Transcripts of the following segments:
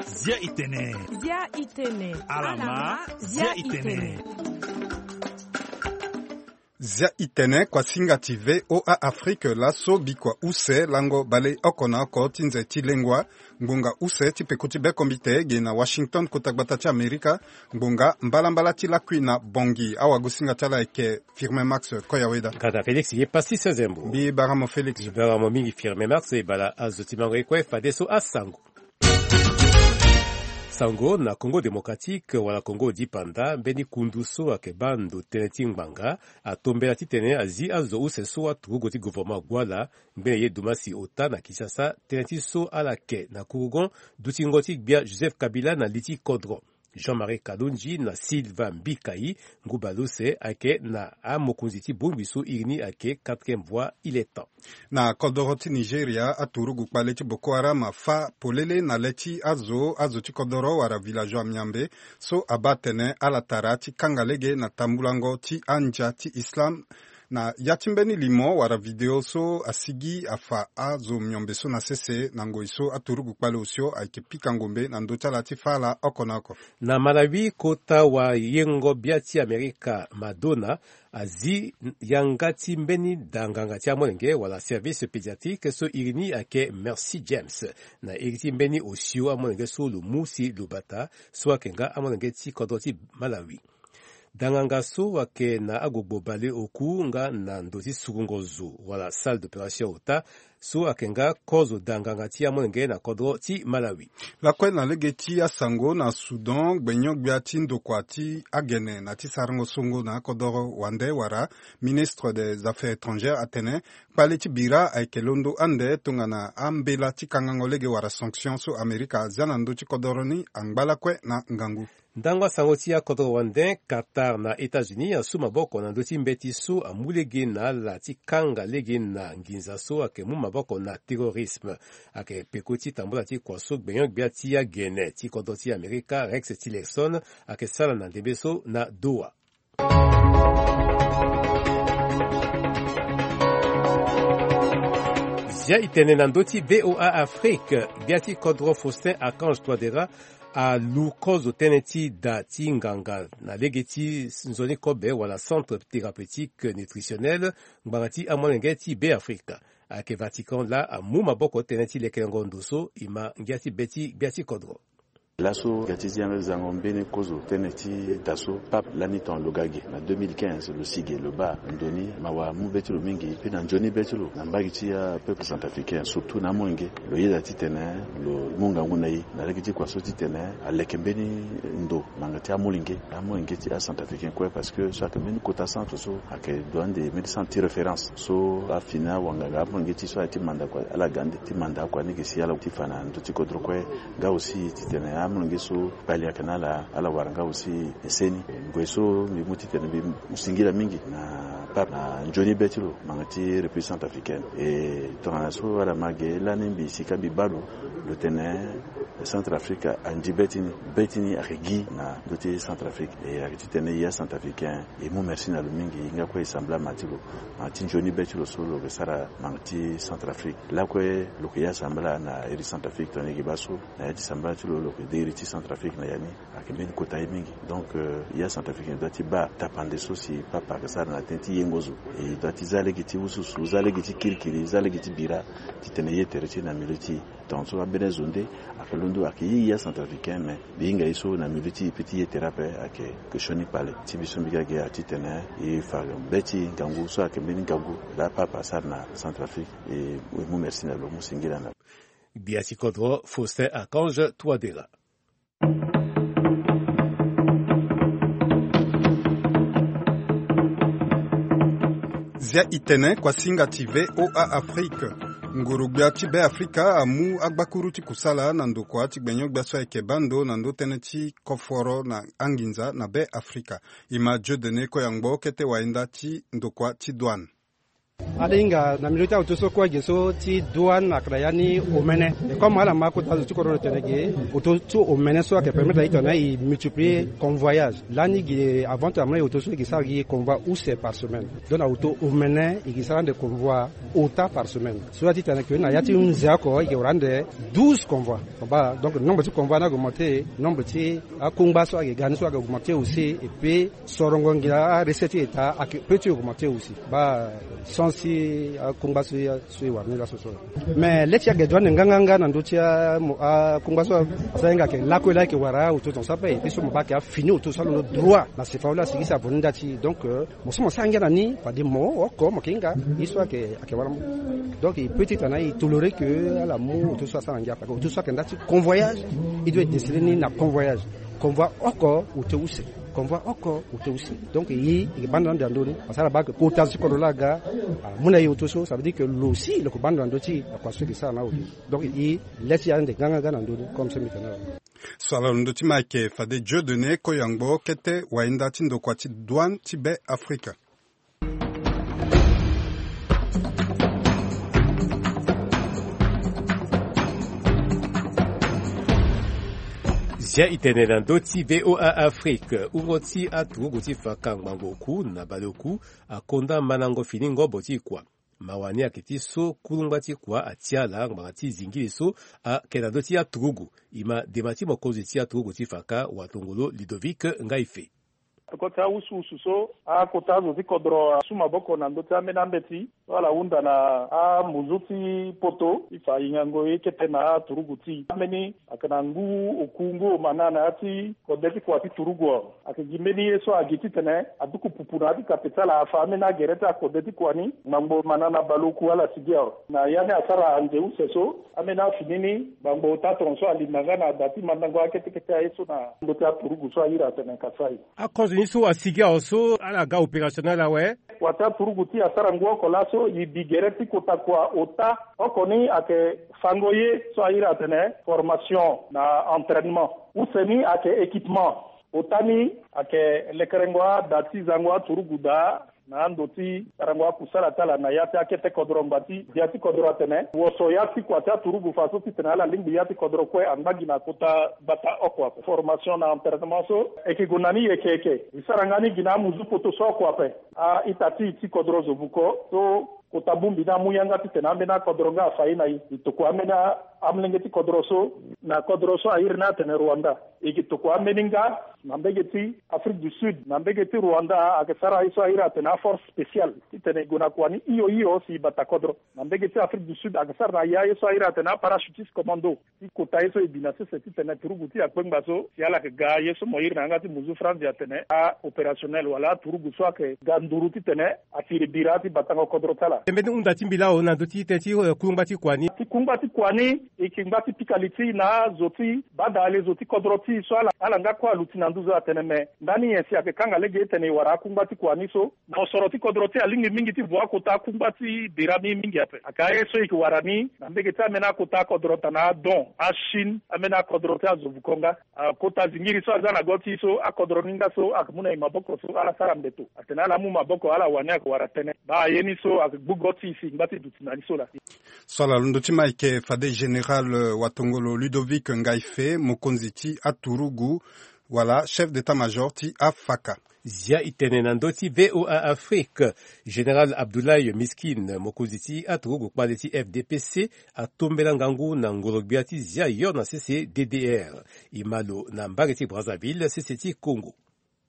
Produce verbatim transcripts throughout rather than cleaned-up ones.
Zia itene. Zia itene. Alama. Zia itene. Zia itene kuasinga ti V O A Afrique laso bikua use lango baleoko na oko ti nze ti lengua. Ngbonga use ti peko ti bekombite ge na Washington kota gbata ti Amerika. Ngbonga mbalambala ti lakui na bongi awagosinga ti ala eke Firmin Max Koyaweda. Kata Félix ye pasi sezembo. Mbi baramo Félix. Mbi baramo mingi Firmin Max e bala azo ti mango ye kue fadeso asango. Sango na Congo Démocratique wala Congo dipanda mbeni kundu so ayeke baa ndo tënë ti ngbanga atombela titene azi azo use so aturugu ti gouvernement Guala ngbene ye Dumasi ota na Kinshasa tënë ti so ala yeke na kurugon dutingo ti gbia Joseph Kabila na li ti kodro. Jean-Marie Kalonji na Sylvain Mbikai ngu baleuse ayeke na amokonzi ti bongbi so iri ni ayeke quatrième voie il est temps. Na kodoro ti Nigeria aturugu kpale ti Boko Haram afâ polele na le ti azo azo ti kodoro wala villageois miambe so abaa atene ala tara ti kanga lege na tambulango ti andia ti Islam. Na ya ti mbeni limo wala video so asigi afa azo miombe so na sese na ngoi so aturugu kpale osio ayeke pika ngombe na ndö ti ala ti fâ ala oko na oko. Na Malawi kota wayengo-gbia ti Amerika Madonna azi yanga ti mbeni daa nganga ti amolenge wala service pédiatrique so iri ni ayeke Mercy James na iri ti mbeni osio amolenge so lo mu si lo bata so ayeke nga amolenge ti kodro ti Malawi. Danganga so ayeke na agbogbo baleoku nga na ndo ti sukungo zo wala salle d'opération ota so ayeke nga kozo danganga ti amolenge na kodro ti Malawi. Lakue na lege ti asango na Soudan gbenyo-gbia ti ndokua ti agene na ti sarango songo na akodoro wande wala ministre des affaires étrangères atene kpale ti bira ayeke londo ande tongana ambela ti kangango lege wala sanction so Amerika azia na ndö ti kodoro ni angba lakue na ngangu. Ndango asango ti akodro wande Qatar na États-Unis asu maboko na ndö ti mbeti so amu lege na ala ti kanga lege na nginza so ayeke mu maboko na terrorisme. Ayeke peko ti tambula ti kua so gbenyo-gbia ti agene ti kodro ti Amerika Rex Tillerson ayeke sara na ndembe so na Doha. Zia itene na ndö ti V O A Afrique, gbia ti kodro Faustin Archange Touadéra alu kozo tënë ti da ti nganga na lege ti nzoni kobe wala centre thérapeutique nutritionnel ngbanga ti amolenge ti Beafrika. Ayeke Vatican laa amu maboko tënë ti lekelengo ndo so e ma ngia ti be ti gbia ti kodro. Laso ga ti zi yanga zango mbeni kozo tënë ti da so pape lani ton lo ga ge na deux mille quinze lo si ge lo baa ndo ni mawa amu be ti lo mingi mpe na nzoni be ti lo na mbage ti apeuple centrafricain surtout na amolenge. Lo yeda titene lo mu ngangu na e na lege ti kua so titene aleke mbeni ndo ngbanga ti amolenge amolenge ti acentrafricain kue parce que so ayeke mbeni kota centre so ayeke ndo ande mbeni centre ti référence so afini awanganga amolenge ti so aye ti manda kua ala ga ande ti manda akua ni ge si ala ti fa na ndö ti kodro kue. Nga aussi titene amolenge so kpali ayeke na ala ala wara nga aussi seni ngoi so mbi mu titene mbi mu singila mingi na pape na nzoni be ti lo ngbanga ti république centrafricaine. E tongana so ala ma ge lani mbi sika mbi baa lo lo tene centrafrique andi be ti ni be ti ni ayeke gi na ndö ti centrafrique e ayeke titene e acentrafricain e mu merci na lo mingi e nga kue e sambela ma ti lo ma ti nzoni be ti lo so lo yeke sara ngbanga ti centrafrique lakue lo yeke ya sambela na iri centrafrique tongana e yeke baa so na ya ti sambela ti lo lo yeke de iri ti centrafrique na ya ni. Ayeke mbeni kota ye mingi donc ya centrafricain e doit ti baa tapande so si papa ayeke sara na tënë ti yengo zo e doit ti za lege ti ususu za lege ti kirikiri za lege ti bira titene ye tere ti e na milieu ti e. Tongaso ambeni azo nde ayeke londo ayeke ye ya centrafricain mais mbi hinga ye so na milieu ti e pe ti ye tere ape ayeke ke sioni kpale ti mbi so mbi ga ge atitene e fa be ti ngangu so ayeke mbeni ngangu laa papa asara na centrafrique. E mu merci na lo mu singila na lo. Gbia ti kodro Faustin Archange Touadéra. Zia itene kuasinga ti V O A Afrique. Nguru-gbia ti Beafrika amu agbakuru ti kusala na ndokua ti gbenyo-gbia so ayeke baa ndo na ndö tënë ti koforo na anginza na Beafrika. E ma Dieudonné Koyangbo kete wayenda ti ndokua ti douane. Ala hinga na milieu ti aoto so kue ge so ti douane ayeke na ya ni omene. E comme ala ma kota zo ti kodro lo tene ge, oto ti omene so ayeke permettre na e tene e multiplier convoyage. Lani ge avant ti amolenge oto so e ge sara gi convoi use par semaine. Donc na oto omene e ge sara ande convoi ota par semaine. So ya ti tene ke na ya ti hunzi oko e ke wara ande douze convois. Baa, donc nombre ti convoi ni augmenté, nombre ti akungba so ayeke ga ni so ayeke augmenté aussi. Et puis sorongo ngia arecette ti état ayeke peut ti augmenté aussi. Baa, sens ti akungba so e wara ni laso so. Mais le ti ayeke douane nganganga na ndö ti akungba so asara hinga ayeke lakue laa ayeke wara oto tongaso ape. Et puis so mo baa ayeke afini oto so alondo droit na sefao laa asigi si avo ni nda ti. Donc mo so mo sara ngia na ni fade mo oko mo yeke hinga ye so ayeke wara mo. Donc e peut ti tana e toléré ke ala mu oto so asara ngia fade oto so ayeke nda ti convoyage. E doit e destiné ni na convoyage. Convoi oko oto use. Convoi oko oto use. Donc e yeke banda ande na ndö ni parce que ala baa ke kota zo ti kodro laa aga amu na e oto so ça veut dire ke lo aussi lo yeke banda na ndö ti akua so e yeke sara na awe. Donc e lê ti ande nganganga na ndö ni comme so mbi tene awe. So ala londo ti ma ayeke fade Dieudonné Koyangbo kete wahinda ti ndokua ti douane ti Be Afrika. Zia e tene na ndö ti V O A Afrique. Wungo ti aturugu ti faka ngbanga oku na baleoku akonda mandango fini ngobo ti kua. Mawa ni ayeke ti so kulungba ti kua atia ala ngbanga ti zingili so ayeke na ndö ti aturugu. E ma dema ti mokonzi ti aturugu ti faka watongolo Ludovic Ngaife. Toko ti awusuwusu so akota azo ti kodro asu maboko na ndö ti ambeni ambeti so ala hunda na amuzu ti poto ti fa hingango ye kete na aturugu ti ambeni. Ayeke na ngu oku ngu omana na ya ti kode ti kua ti turugu. Ayeke gi mbeni ye so agi titene aduku pupu na ya ti kape ti ala afa ambeni agere ti akode ti kua ni. Ngbangbo omana na baleoku ala sigi awe na ya ni asara anze use so. Ambeni afini ni ngbangbo ota tongaso alinda nga na da ti mandango akete kete aye so na ndö ti aturugu so ahiri atene Kasaï. Akozo ni so asigi awe so ala ga opérationnel awe. Kua ti aturugu ti e asara ngu oko laso e bi gere ti kota kua ota. Oko ni ayeke fango ye so ahiri atene formation na entraînement. Use ni ayeke équipement. Ota ni ayeke lekerengo ada ti zango aturugu daa na ando ti sarango akusala ti ala na ya ti akete kodro ngbati. Gbia ti kodro atene woso ya ti kua ti aturugu fa so titene ala lingbi ya ti kodro kue angba gi na kota gbata oko ape. Formation na entraînement so e yeke gue na ni yeke yeke. E sara nga ni gi na amuzu poto so oko ape. A-ita ti e ti kodro zo buko so kota bongbi ni amu yanga titene ambeni akodro nga afa ye na e. E tokua ambeni amolenge ti kodro so na kodro so ahiri ni atene Rwanda. E yeke tokua ambeni nga na mbege ti Afrique du Sud na mbege ti Rwanda ayeke sara ye so ahiri atene aforce spéciale titene e gue na kua ni hio hio si e bata kodro. Na mbege ti Afrique du Sud ayeke sara na ya ye so ahiri atene aparachutiste commando. Ti kota ye so e bi na sese titene turugu ti e akpengba so si ala yeke ga ye so mo iri na yanga ti muzu franzi atene a-opérationnel wala aturugu so ayeke ga nduru titene atiri bira ti batango kodro ti ala. Tëmbê ti hunda ti mbi laa o na ndö ti tënë ti, eh, kungba ti kua ni. Ti kungba ti kua ni e yeke ngba ti pika li ti e na azo ti bada ale zo ti kodro ti e so ala, ala nga kue aluti na nduzu atene me ndani nyen si ayeke kanga lege titene e wara akungba ti kua ni so. Mosoro ti kodro ti e alingbi mingi ti vo akota akungba ti bira mingi mingi ape. Ayeke aye so e yeke wara ni na mbege ti ambeni akota akodro tana adon achine ambeni akodro ti azo vuko nga. Akota zingiri so aza na go ti e so akodro ni nga so ayeke mu na e maboko so ala sara mbeto atene ala mu maboko ala wani ayeke wara tënë. Baa aye ni so ayeke gbu go ti e si e ngba ti duti na ni so laa. So ala londo ti ma ayeke fade général, euh, watongolo Ludovic Ngaife mokonzi ti aturugu wala chef d'état-major ti afaka. Zia e tene na ndö ti V O A Afrique. Général Abdoulaye Miskine mokonzi ti aturugu kpale ti F D P C atombela ngangu na ngoro-gbia ti Zia yo na sese D D R. E ma lo na mbage ti Brazzaville sese ti Congo.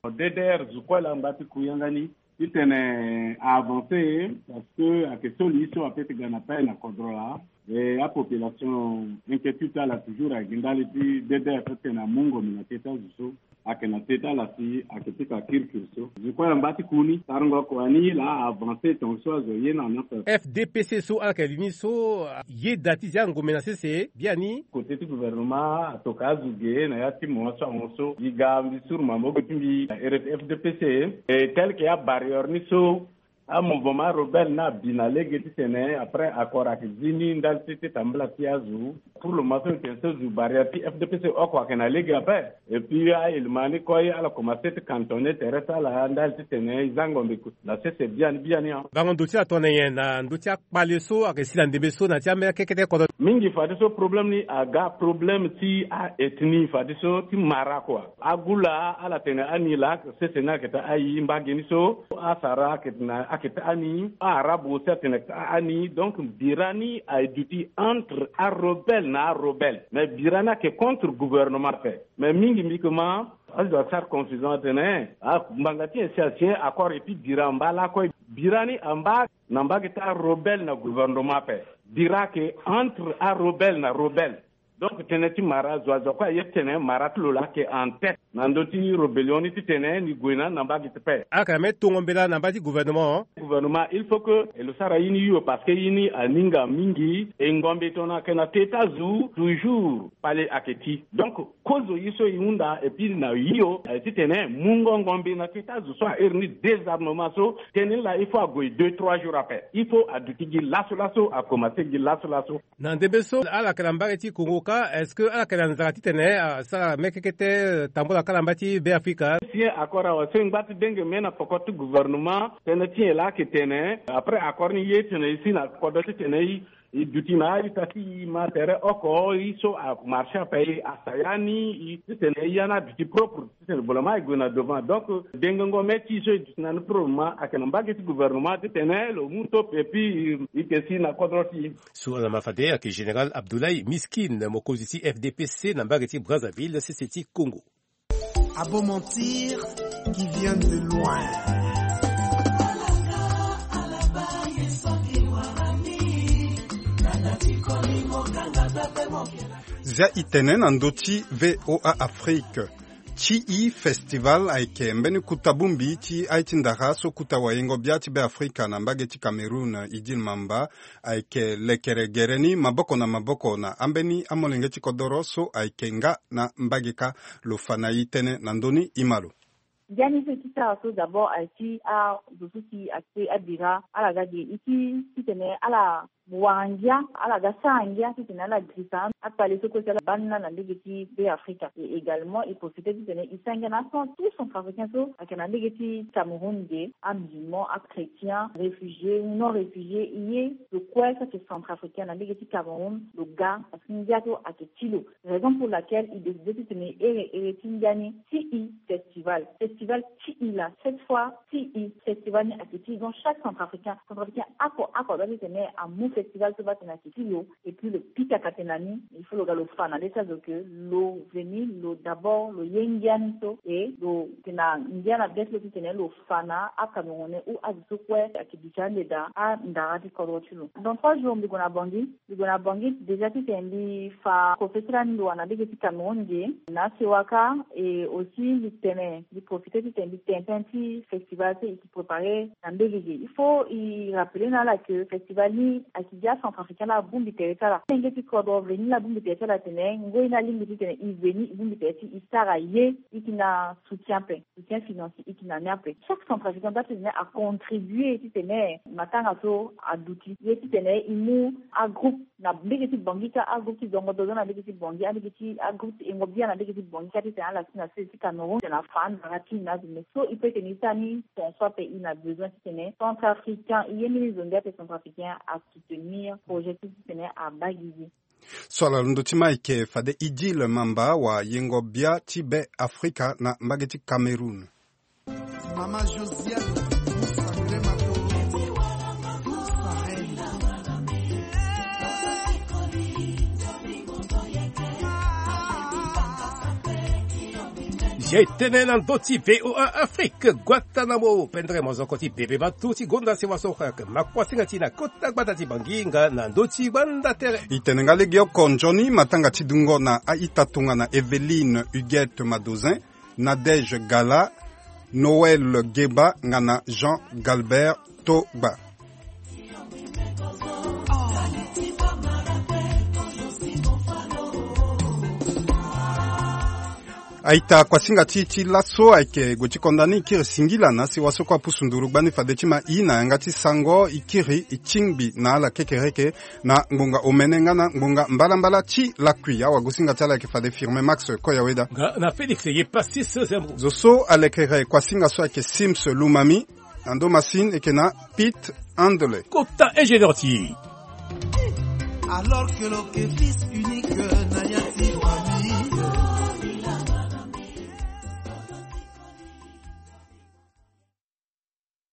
D D R zo kue laa ngba ti ku yanga ni titene a avancer parce que ayeke so li so apeut ti ga na pai na kodro laa. E apopulation inquiétude ti ala toujours ayeke ndali ti D D R so titene amu ngombe na kete azo so ayeke na te ti ala si ayeke pika kirikiri so. Zo kue ala ngba ti ku ni sarango kua ni laa a avancer tongaso azo ye na na ape. F D P C so ala yeke li ni so ye da ti zia ngombe na sese biani. Kote ti gouvernement atoka azo ge na ya ti mo so amoso gi ga mbi suru maboko ti mbi na R F D P C. E tel que abarrière ni so Amouvement rebelle ni abi na lege titene après accord ayeke zi ni ndali ti ti tambula ti azo. Pour le moment so e tene so zo barrière ti F D P C oko ayeke na lege ape. Et puis aélément ni kue ala commencé ti cantonner tere ti ala ndali titene e za ngombe na sese biani biani. Bango ndo ti ala tongana nyen na ndö ti akpale so ayeke si na ndembe so na ti ambeni akekete kodro? Mingi fadeso problème ni aga problème ti a-ethnie fadeso ti mara kua. Agula ala tene ani laa sese ni ayeke taa ayi, mbage ni so asara ayeke taa ani, a-arabe aussi atene taa ani. Donc bira ni aye duti entre arebelle na arebelle, mais bira ni ayeke contre gouvernement ape. Mais mingi mbi koma azo asara confusion atene a ngbanga ti nyen si asi accord et puis bira amba lakue. Bira ni amba na mbage ti arebelle na gouvernement ape. Bira ayeke entre arebelle na rebelle. Donc tënë ti mara zo azo kue aye titene mara ti lo laa ayeke en tête na ndö ti rébellion ni titene ni gue na ni na mbage ti paix. Ala yeke na mbeni tongo mbela na mbage ti gouvernement. Gouvernement il faut que e lo sara ye ni hio parce que ye ni aninga mingi. E ngombe tongana ayeke na te ti azo toujours kpale ayeke ti. Donc kozo ye so e hunda et puis na hio aye titene mungo ngombe na te ti azo so ahere ni désarmement so tënë ni laa il faut ague deux trois jours ape. Il faut aduti gi laso laso, akomanse gi laso laso. Na ndembe so ala yeke na mbage ti Congo kâ, est-ce que ala yeke na nzara titene asara mê kekete tambula kâ na mbage ti Be Afrika? Si accord awa so e ngba ti denge mê na poko ti gouvernement, tënë ti e laa ayeke tene après accord ni ye titene e si na kodro titene e duti na a-ita ti e ma tere oko e so amarché ape e asa ya ni e titene e ya ni aduti propre. Titene boloma e gue na devant. Donc dengengo mê ti e so e duti na ni pour le moment ayeke na mbage ti gouvernement titene lo mu top et puis e yeke si na kodro ti e. So ala ma fade ayeke général Abdoulaye Miskine, mokonzi ti F D P C na mbage ti Brazzaville, sese ti Congo. Abo mentir qui vient de loin. Zia e tene na ndö ti V O A Afrique. Ti e festival ayeke mbeni kuta bongbi ti aye ti ndara so kuta wayengo-bia ti Be Afrika na mbage ti Cameroun, Idil Mamba, ayeke lekere gere ni maboko na maboko na ambeni amolenge ti kodoro so ayeke nga na mbage kâ. Lo fa na e tënë na ndö ni, e ma lo. Ngia ni so e ti sara so d'abord ayeke ti azo so si ayeke abira ala ga ge e ti titene ala wara ngia, ala ga sara ngia titene ala girisa akpale so kue si ala baa ni laa na ndege ti Be Afrika. Et également e profite titene e sara ngia na tout centrafricain so ayeke na ndege ti Cameroun ge, amusulman, achrétien, réfugié ou non réfugié, e ye lo kue so ayeke centrafricain na ndege ti Cameroun lo ga, parce que ngia so ayeke ti lo. Raison pour laquelle e décide titene e here here ti ngia ni ti e festival. Festival ti e laa, cette fois ti e festival ni ayeke ti e. Donc chaque centrafricain, centrafricain oko oko adoit titene amu festival so baa tene ayeke ti lo. Et puis lo pika ka tene na ni, il faut lo ga lo fa na le ti azo que lo veni lo d'abord lo ye ngia ni so et lo yeke na ngia na be ti lo titene lo fa na acamerounais ou azo so kue ayeke duti ande daa andara ti kodro ti lo. Dans trois jours mbi gue na Bangui. Mbi gue na Bangui déjà titene mbi fa kofesera ni lo wara na ndege ti Cameroun ge na asewa kâ. Et aussi mbi tene mbi profite titene mbi tene tënë ti festival so e yeke préparer na mbege ge. Il faut e rappeler na ala que festival ni ayeke gi acentrafricain laa abongbi tere ti ala. Molenge ti kodro veni laa abongbi tere ti ala atene ngoi ni alingbi titene e veni e bongbi tere ti e sara ye, e yeke na soutien ape, soutien financier e yeke na ni ape. Chaque centrafricain doit titene acontribuer titene matanga so aduti ye titene e mu agroupe na mbege ti Bangui kâ, agroupe ti zongo dozo na mbege ti Bangui, ambege ti agroupe ti yengo bia na mbege ti Bangui kâ titene ala si na sese ti Cameroun titene afa andara ti e na azo. Mais so e peut tene e sara ni ton so ape e na besoin titene centrafricain, e ye mbeni zo ngia ape centrafricain asoutenir projet ti titene abaa gi ye. So ala londo ti ma ayeke fade Idil Mamba wayengo bia ti Be Afrika na mbage ti Cameroun. Mama Josiane, vous sacrez ma toro. Zia e tene na ndö ti V O A Afrique, Guantanamo, pendere mozoko ti bebe batu ti gonda sewa so ayeke makuasinga ti e na kota gbata ti Bangui nga na ndö ti gbanda tere. E tene nga legeoko nzoni matanga ti dungo na a-ita tongana Evelyne Huguette Madozin, Nadège Gala, Noël Geba nga na Jean Galbert Togba. Aita kuasinga ti ti laso ayeke gue ti konda ni, i kiri singila na si wasoko apusu nduru gbani fade ti ma i na yanga ti sango, i kiri i tingbi na ala kekereke na ngbonga omene nga na ngbonga mbalambala ti lakui. Awagosinga ti ala ayeke fade Firme Max Koyaweda. Nga na Félix ye Passis Zembo. Zo so alekere kuasinga so ayeke Sims Lumami. Na ndo masine eke na Pete Andele. Kota ingénieur ti. Alors que l'on est fils unique.